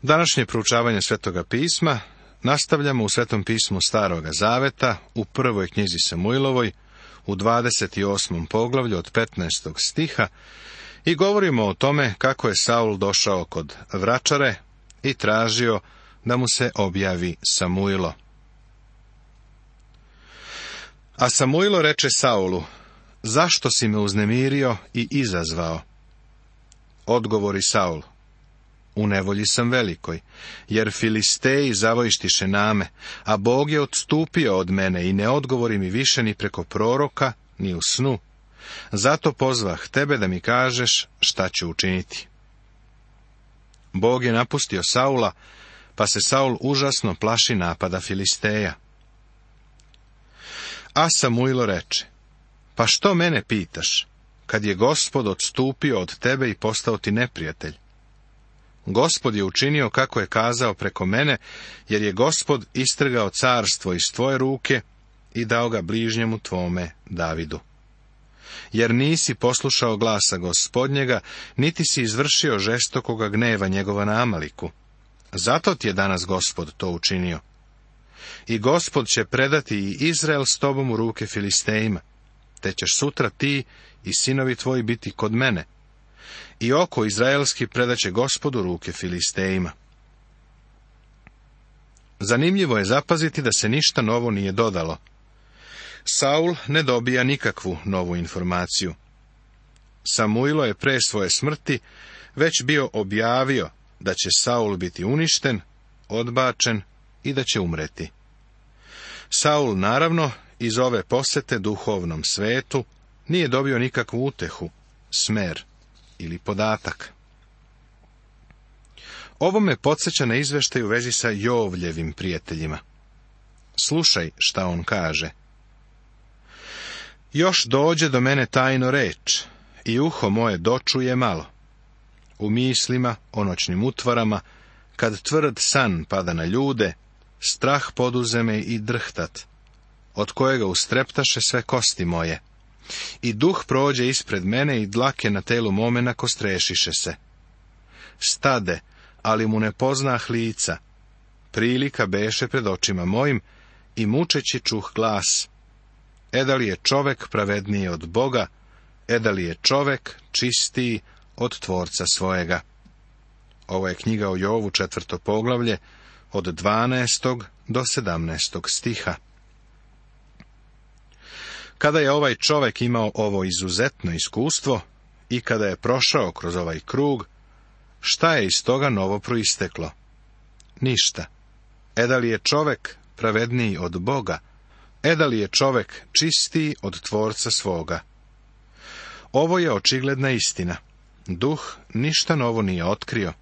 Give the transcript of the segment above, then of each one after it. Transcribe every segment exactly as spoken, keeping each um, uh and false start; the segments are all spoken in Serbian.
Današnje proučavanje Svetoga pisma nastavljamo u Svetom pismu Staroga Zaveta, u prvoj knjizi Samuilovoj, u dvadeset osmom poglavlju od petnaestog stiha, i govorimo o tome kako je Saul došao kod vračare i tražio da mu se objavi Samuilo. A Samuilo reče Saulu: zašto si me uznemirio i izazvao? Odgovori Saul: u nevolji sam velikoj, jer Filisteji zavojištiše na me, a Bog je odstupio od mene i ne odgovori mi više ni preko proroka, ni u snu. Zato pozvah tebe da mi kažeš šta ću učiniti. Bog je napustio Saula, pa se Saul užasno plaši napada Filisteja. A Samuilo reče: pa što mene pitaš, kad je Gospod odstupio od tebe i postao ti neprijatelj? Gospod je učinio kako je kazao preko mene, jer je Gospod istrgao carstvo iz tvoje ruke i dao ga bližnjemu tvome Davidu. Jer nisi poslušao glasa Gospodnjega, niti si izvršio žestokoga gneva njegova na Amaliku. Zato ti je danas Gospod to učinio. I Gospod će predati i Izrael s tobom u ruke Filistejima, te ćeš sutra ti i sinovi tvoji biti kod mene. I oko izraelski predaće Gospodu ruke Filistejima. Zanimljivo je zapaziti da se ništa novo nije dodalo. Saul ne dobija nikakvu novu informaciju. Samuilo je pre svoje smrti već bio objavio da će Saul biti uništen, odbačen i da će umreti. Saul, naravno, iz ove posete duhovnom svetu nije dobio nikakvu utehu, smer ili podatak. Ovo me podsjeća na izveštaj u vezi sa Jovljevim prijateljima. Slušaj šta on kaže. Još dođe do mene tajno reč, i uho moje dočuje malo. U mislima, o noćnim utvarama, kad tvrd san pada na ljude, strah poduze me i drhtat, od kojega ustreptaše sve kosti moje. I duh prođe ispred mene i dlake na telu mome nakostrešiše se. Stade, ali mu ne poznah lica. Prilika beše pred očima mojim i mučeći čuh glas. E da li je čovek pravedniji od Boga, e da li je čovek čistiji od Tvorca svojega. Ovo je knjiga o Jovu, četvrto poglavlje, od dvanaestog do sedamnaestog stiha. Kada je ovaj čovek imao ovo izuzetno iskustvo i kada je prošao kroz ovaj krug, šta je iz toga novo proisteklo? Ništa. E da li je čovek pravedniji od Boga? E da li je čovek čistiji od Tvorca svoga? Ovo je očigledna istina. Duh ništa novo nije otkrio.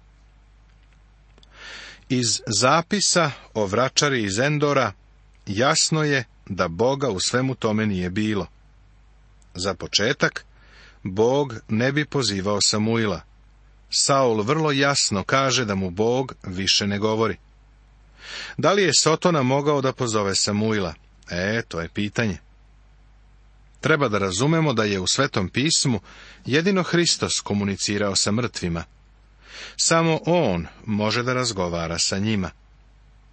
Iz zapisa o vračari iz Endora jasno je da Boga u svemu tome nije bilo. Za početak, Bog ne bi pozivao Samuila. Saul vrlo jasno kaže da mu Bog više ne govori. Da li je Sotona mogao da pozove Samuila? E, to je pitanje. Treba da razumemo da je u Svetom pismu jedino Hristos komunicirao sa mrtvima. Samo on može da razgovara sa njima.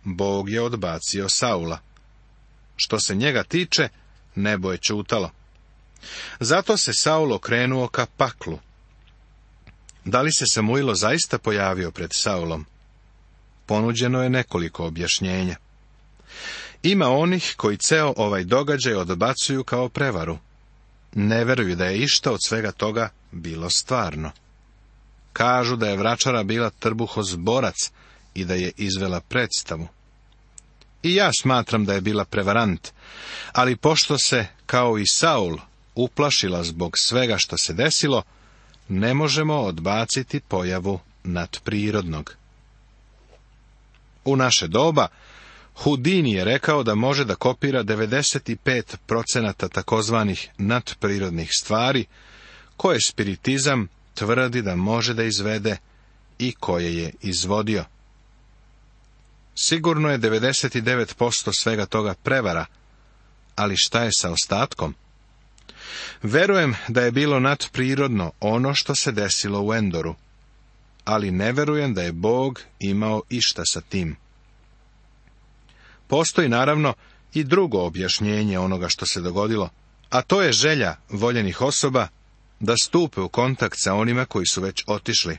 Bog je odbacio Saula. Što se njega tiče, nebo je ćutalo. Zato se Saul okrenuo ka paklu. Da li se Samuilo zaista pojavio pred Saulom? Ponuđeno je nekoliko objašnjenja. Ima onih koji ceo ovaj događaj odbacuju kao prevaru. Ne veruju da je išta od svega toga bilo stvarno. Kažu da je vračara bila trbuhozborac i da je izvela predstavu. I ja smatram da je bila prevarant, ali pošto se, kao i Saul, uplašila zbog svega što se desilo, ne možemo odbaciti pojavu nadprirodnog. U naše doba, Houdini je rekao da može da kopira devedeset pet procenata takozvanih nadprirodnih stvari, koje spiritizam tvrdi da može da izvede i koje je izvodio. Sigurno je devedeset devet posto svega toga prevara, ali šta je sa ostatkom? Verujem da je bilo nadprirodno ono što se desilo u Endoru. ali ne verujem da je Bog imao išta sa tim. Postoji naravno i drugo objašnjenje onoga što se dogodilo, a to je želja voljenih osoba da stupe u kontakt sa onima koji su već otišli.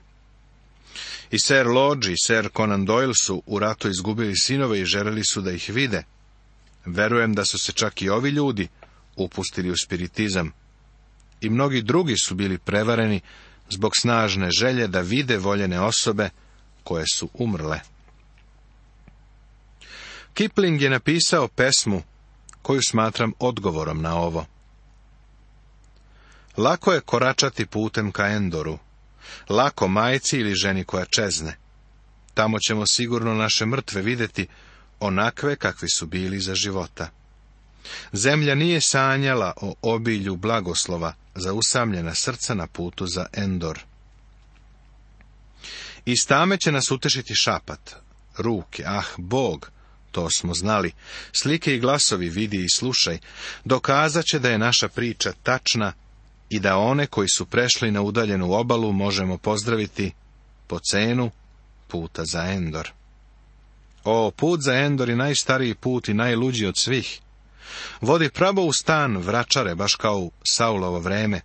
I Sir Lodge i Sir Conan Doyle su u ratu izgubili sinove i želeli su da ih vide. Verujem da su se čak i ovi ljudi upustili u spiritizam. I mnogi drugi su bili prevareni zbog snažne želje da vide voljene osobe koje su umrle. Kipling je napisao pesmu koju smatram odgovorom na ovo. Lako je koračati putem ka Endoru, lako majci ili ženi koja čezne. Tamo ćemo sigurno naše mrtve vidjeti onakve kakvi su bili za života. Zemlja nije sanjala o obilju blagoslova za usamljena srca na putu za Endor. Iz tame će nas utešiti šapat, ruke, ah, Bog, to smo znali, slike i glasovi vidi i slušaj, dokazat će da je naša priča tačna i da one koji su prešli na udaljenu obalu možemo pozdraviti po cenu puta za Endor. O, put za Endor je najstariji put i najluđi od svih. Vodi pravo u stan vračare, baš kao u Saulovo vreme,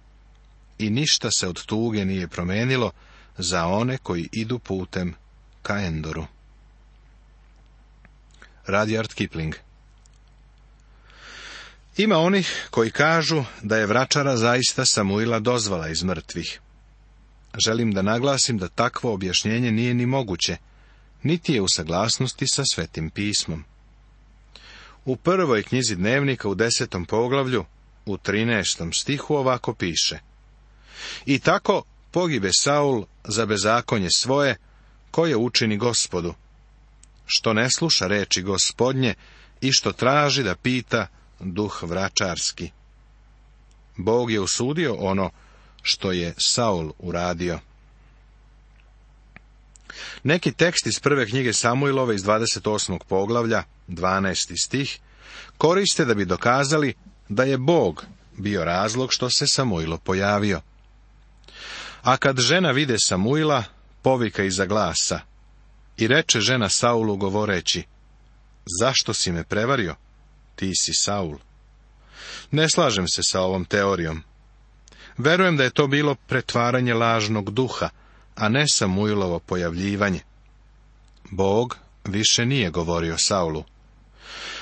i ništa se od tuge nije promenilo za one koji idu putem ka Endoru. Rudyard Kipling. Ima onih koji kažu da je vračara zaista Samuila dozvala iz mrtvih. Želim da naglasim da takvo objašnjenje nije ni moguće, niti je u saglasnosti sa Svetim pismom. U prvoj knjizi Dnevnika u desetom poglavlju, u trinaestom stihu ovako piše: I tako pogibe Saul za bezakonje svoje, koje učini Gospodu, što ne sluša reči Gospodnje i što traži da pita duh vračarski. Bog je osudio ono što je Saul uradio. Neki tekst iz prve knjige Samuilove iz dvadeset osmog poglavlja, dvanaesti stih, koriste da bi dokazali da je Bog bio razlog što se Samuilo pojavio. A kad žena vide Samuila, povika iza glasa, i reče žena Saulu govoreći: Zašto si me prevario? Ti si Saul. Ne slažem se sa ovom teorijom. Verujem da je to bilo pretvaranje lažnog duha, a ne Samuilovo pojavljivanje. Bog više nije govorio Saulu.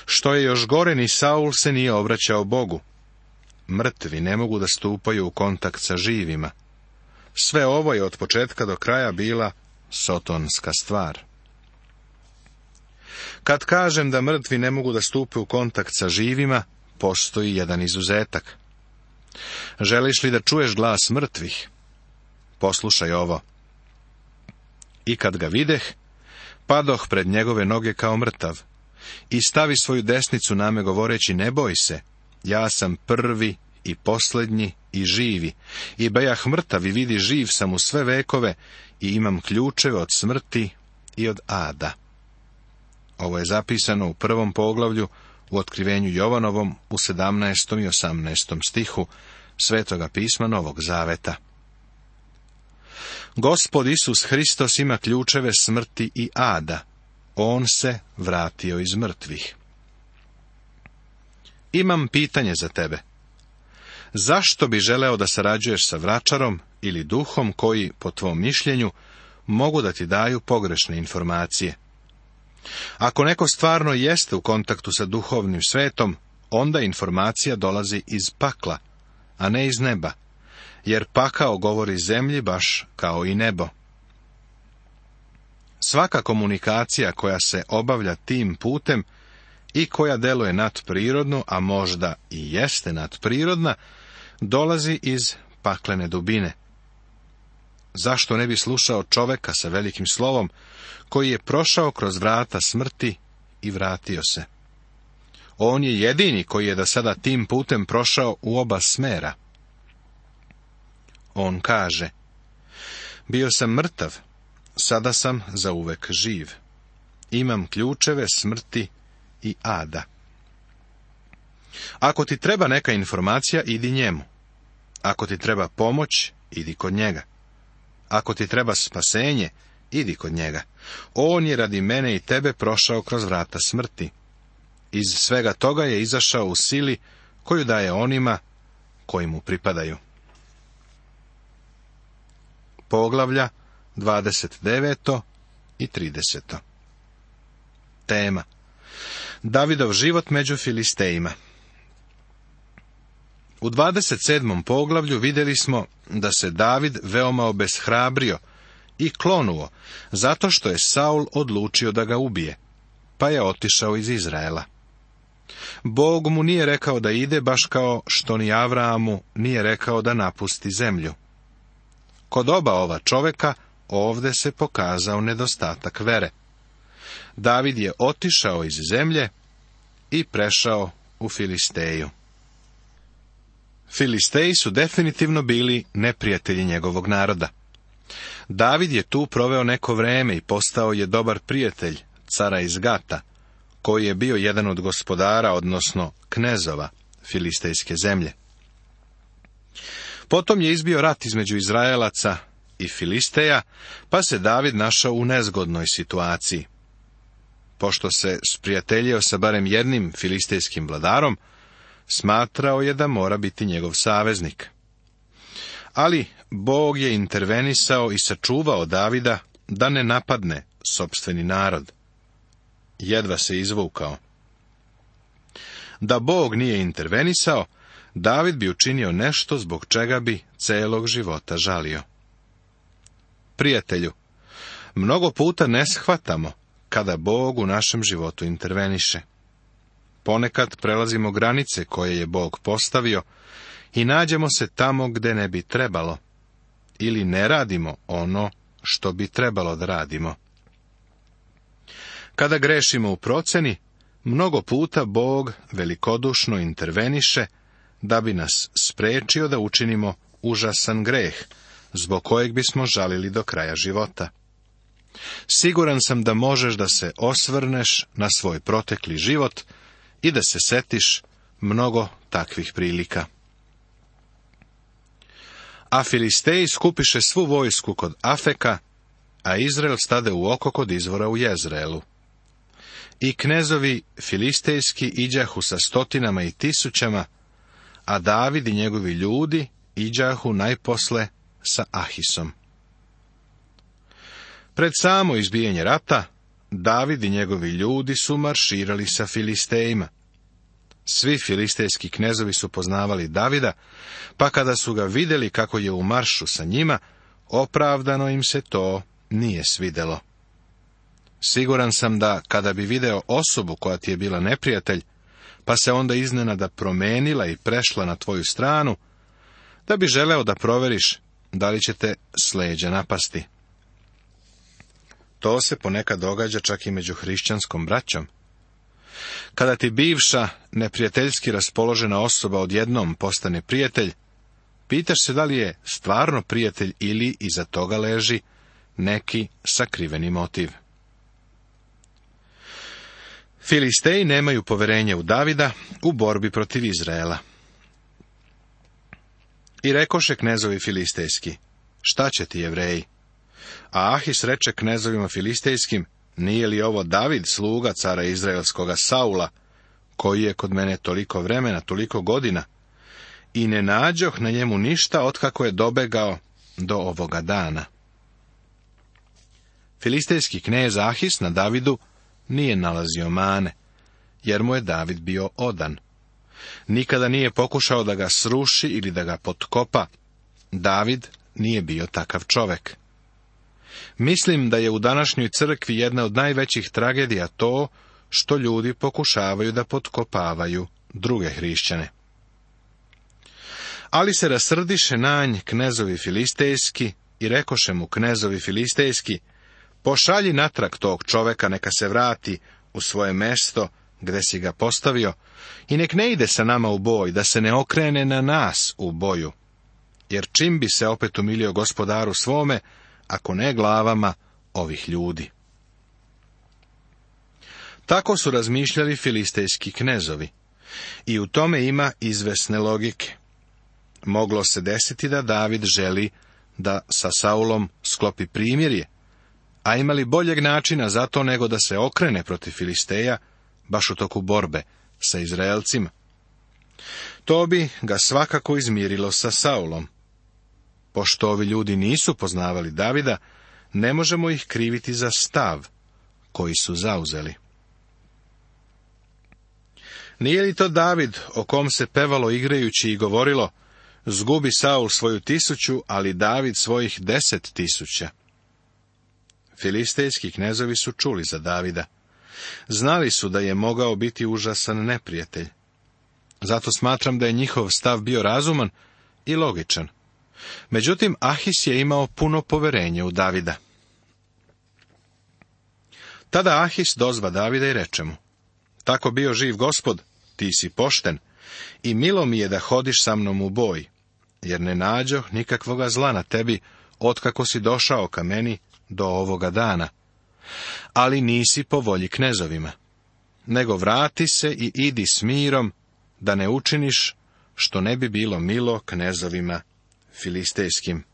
Što je još gore, ni Saul se nije obraćao Bogu. Mrtvi ne mogu da stupaju u kontakt sa živima. Sve ovo je od početka do kraja bila sotonska stvar. Kad kažem da mrtvi ne mogu da stupe u kontakt sa živima, postoji jedan izuzetak. Želiš li da čuješ glas mrtvih? Poslušaj ovo. I kad ga videh, padoh pred njegove noge kao mrtav, i stavi svoju desnicu na me govoreći: Ne boj se, ja sam prvi i posljednji i živi, i bejah mrtav i vidi živ sam u sve vekove i imam ključeve od smrti i od ada. Ovo je zapisano u prvom poglavlju u Otkrivenju Jovanovom u sedamnaestom i osamnaestom stihu Svetoga pisma Novog Zaveta. Gospod Isus Hristos ima ključeve smrti i ada. On se vratio iz mrtvih. Imam pitanje za tebe. Zašto bi želeo da sarađuješ sa vračarom ili duhom koji, po tvom mišljenju, mogu da ti daju pogrešne informacije? Ako neko stvarno jeste u kontaktu sa duhovnim svetom, onda informacija dolazi iz pakla, a ne iz neba, jer pakao govori zemlji baš kao i nebo. Svaka komunikacija koja se obavlja tim putem i koja deluje nadprirodno, a možda i jeste nadprirodna, dolazi iz paklene dubine. Zašto ne bi slušao čoveka sa velikim slovom, koji je prošao kroz vrata smrti i vratio se? On je jedini koji je do sada tim putem prošao u oba smera. On kaže: Bio sam mrtav, sada sam zauvek živ. Imam ključeve smrti i ada. Ako ti treba neka informacija, idi njemu. Ako ti treba pomoć, idi kod njega. ako ti treba spasenje, idi kod njega. On je radi mene i tebe prošao kroz vrata smrti. Iz svega toga je izašao u sili koju daje onima koji mu pripadaju. Poglavlja dvadeset devet i trideset. Tema: Davidov život među Filistejima. U dvadeset sedmom poglavlju vidjeli smo da se David veoma obeshrabrio i klonuo, zato što je Saul odlučio da ga ubije, pa je otišao iz Izraela. Bog mu nije rekao da ide, baš kao što ni Avraamu nije rekao da napusti zemlju. Kod oba ova čovjeka ovdje se pokazao nedostatak vere. David je otišao iz zemlje i prešao u Filisteju. Filisteji su definitivno bili neprijatelji njegovog naroda. David je tu proveo neko vreme i postao je dobar prijatelj cara iz Gata, koji je bio jedan od gospodara, odnosno knezova filistejske zemlje. Potom je izbio rat između Izraelaca i Filisteja, pa se David našao u nezgodnoj situaciji. Pošto se sprijateljio sa barem jednim filistejskim vladarom, smatrao je da mora biti njegov saveznik. Ali Bog je intervenisao i sačuvao Davida da ne napadne sopstveni narod. Jedva se izvukao. Da Bog nije intervenisao, David bi učinio nešto zbog čega bi celog života žalio. Prijatelju, mnogo puta ne shvatamo kada Bog u našem životu interveniše. Ponekad prelazimo granice koje je Bog postavio i nađemo se tamo gde ne bi trebalo, ili ne radimo ono što bi trebalo da radimo. Kada grešimo u proceni, mnogo puta Bog velikodušno interveniše da bi nas sprečio da učinimo užasan greh, zbog kojeg bismo žalili do kraja života. Siguran sam da možeš da se osvrneš na svoj protekli život i da se setiš mnogo takvih prilika. A Filisteji skupiše svu vojsku kod Afeka, a Izrael stade u oko kod izvora u Jezreelu. I knezovi filistejski iđahu sa stotinama i tisućama, a David i njegovi ljudi iđahu najposle sa Ahisom. Pred samo izbijanje rata, David i njegovi ljudi su marširali sa Filistejima. Svi filistejski knezovi su poznavali Davida, pa kada su ga vidjeli kako je u maršu sa njima, opravdano im se to nije svidelo. Siguran sam da, kada bi video osobu koja ti je bila neprijatelj, pa se onda iznenada promenila i prešla na tvoju stranu, da bi želeo da proveriš da li će te s leđa napasti. To se ponekad događa čak i među hrišćanskom braćom. Kada ti bivša, neprijateljski raspoložena osoba odjednom postane prijatelj, pitaš se da li je stvarno prijatelj ili iza toga leži neki sakriveni motiv. Filisteji nemaju poverenje u Davida u borbi protiv Izraela. I rekoše knezovi filistejski: šta će ti, Jevreji? A Ahis reče knezovima filistejskim: nije li ovo David, sluga cara izraelskoga Saula, koji je kod mene toliko vremena, toliko godina, i ne nađoh na njemu ništa otkako je dobegao do ovoga dana. Filistejski knez Ahis na Davidu nije nalazio mane, jer mu je David bio odan. Nikada nije pokušao da ga sruši ili da ga potkopa. David nije bio takav čovek. Mislim da je u današnjoj crkvi jedna od najvećih tragedija to što ljudi pokušavaju da potkopavaju druge hrišćane. Ali se rasrdiše na nj knezovi filistejski i rekoše mu knezovi filistejski: pošalji natrag tog čoveka, neka se vrati u svoje mesto gde si ga postavio i nek ne ide sa nama u boj, da se ne okrene na nas u boju, jer čim bi se opet umilio gospodaru svome, ako ne glavama ovih ljudi. Tako su razmišljali filistejski knezovi, i u tome ima izvesne logike. Moglo se desiti da David želi da sa Saulom sklopi primirje, a imali boljeg načina za to nego da se okrene protiv Filisteja, baš u toku borbe sa Izraelcima. To bi ga svakako izmirilo sa Saulom. Pošto ovi ljudi nisu poznavali Davida, ne možemo ih kriviti za stav koji su zauzeli. Nije li to David, o kom se pevalo igrajući i govorilo, zgubi Saul svoju tisuću, ali David svojih deset tisuća? Filistejski knezovi su čuli za Davida. Znali su da je mogao biti užasan neprijatelj. Zato smatram da je njihov stav bio razuman i logičan. Međutim, Ahis je imao puno poverenja u Davida. Tada Ahis dozva Davida i reče mu: tako bio živ Gospod, ti si pošten, i milo mi je da hodiš sa mnom u boj, jer ne nađoh nikakvoga zla na tebi, otkako si došao ka meni do ovoga dana. Ali nisi po volji knezovima, nego vrati se i idi s mirom, da ne učiniš što ne bi bilo milo knezovima filistejskim.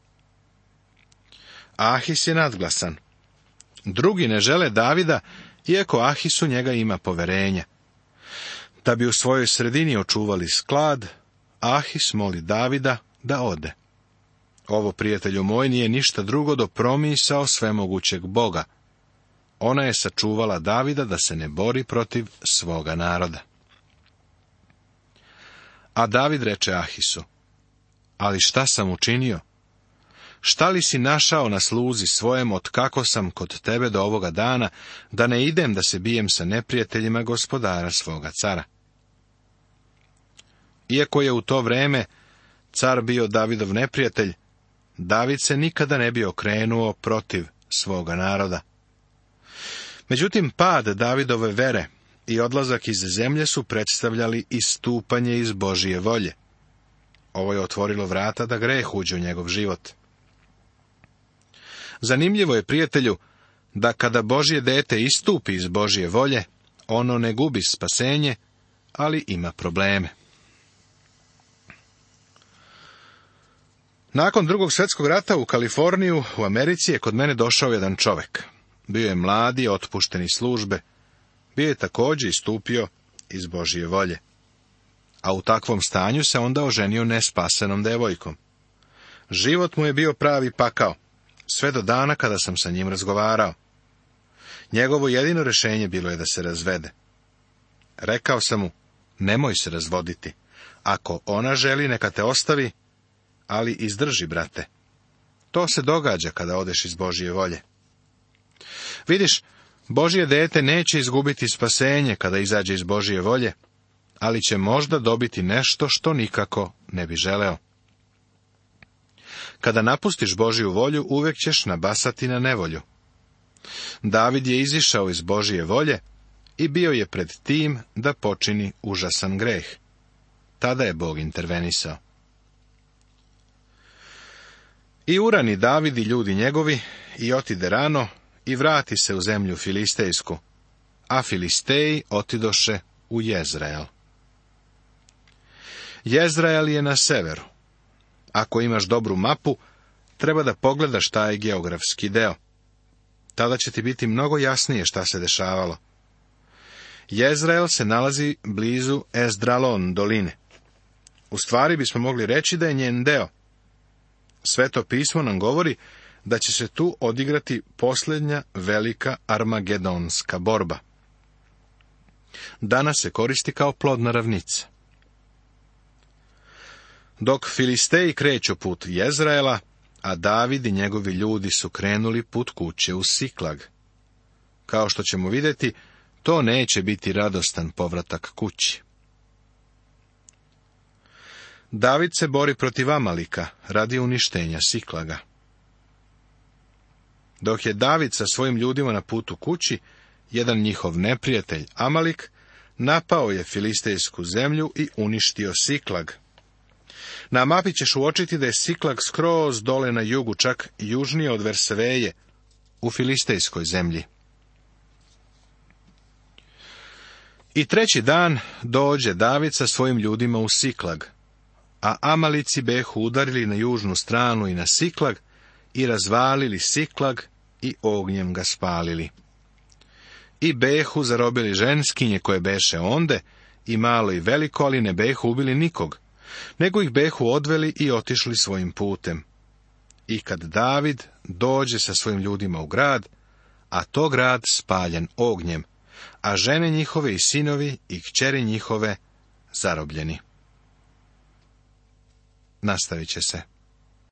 Ahis je nadglasan. Drugi ne žele Davida, iako Ahisu njega ima poverenja. Da bi u svojoj sredini očuvali sklad, Ahis moli Davida da ode. Ovo, prijatelju moj, nije ništa drugo do promisao svemogućeg Boga. Ona je sačuvala Davida da se ne bori protiv svoga naroda. A David reče Ahisu: ali šta sam učinio? Šta li si našao na sluzi svojem, od kako sam kod tebe do ovoga dana, da ne idem da se bijem sa neprijateljima gospodara svoga cara? Iako je u to vreme car bio Davidov neprijatelj, David se nikada ne bi okrenuo protiv svoga naroda. Međutim, pad Davidove vere i odlazak iz zemlje su predstavljali istupanje iz Božije volje. Ovo je otvorilo vrata da greh uđe u njegov život. Zanimljivo je, prijatelju, da kada Božje dete istupi iz Božje volje, ono ne gubi spasenje, ali ima probleme. Nakon drugog svjetskog rata u Kaliforniju, u Americi, je kod mene došao jedan čovjek. Bio je mladi, otpušten iz službe. Bio je također istupio iz Božje volje. A u takvom stanju se onda oženio nespasenom devojkom. Život mu je bio pravi pakao, sve do dana kada sam sa njim razgovarao. Njegovo jedino rješenje bilo je da se razvede. Rekao sam mu: nemoj se razvoditi. Ako ona želi, neka te ostavi, ali izdrži, brate. To se događa kada odeš iz Božje volje. Vidiš, Božje dete neće izgubiti spasenje kada izađe iz Božje volje, ali će možda dobiti nešto što nikako ne bi želeo. Kada napustiš Božju volju, uvijek ćeš nabasati na nevolju. David je izišao iz Božje volje i bio je pred tim da počini užasan greh. Tada je Bog intervenisao. I urani David i ljudi njegovi i otide rano i vrati se u zemlju filistejsku, a Filisteji otidoše u Jezreel. Jezreel je na severu. Ako imaš dobru mapu, treba da pogledaš taj geografski deo. Tada će ti biti mnogo jasnije šta se dešavalo. Jezreel se nalazi blizu Ezdralon doline. U stvari bismo mogli reći da je njen deo. Sveto pismo nam govori da će se tu odigrati posljednja velika armagedonska borba. Danas se koristi kao plodna ravnica. Dok Filisteji kreću put Jezraela, a David i njegovi ljudi su krenuli put kuće u Siklag. Kao što ćemo vidjeti, to neće biti radostan povratak kući. David se bori protiv Amalika radi uništenja Siklaga. Dok je David sa svojim ljudima na putu kući, jedan njihov neprijatelj, Amalik, napao je filistejsku zemlju i uništio Siklag. Na mapi ćeš uočiti da je Siklag skroz dole na jugu, čak južnije od Verseveje, u filistejskoj zemlji. I treći dan dođe David sa svojim ljudima u Siklag, a Amalici behu udarili na južnu stranu i na Siklag i razvalili Siklag i ognjem ga spalili. I behu zarobili ženskinje koje beše onde, i malo i veliko, ali ne behu ubili nikog, nego ih behu odveli i otišli svojim putem. I kad David dođe sa svojim ljudima u grad, a to grad spaljen ognjem, a žene njihove i sinovi i kćeri njihove zarobljeni. Nastavit će se.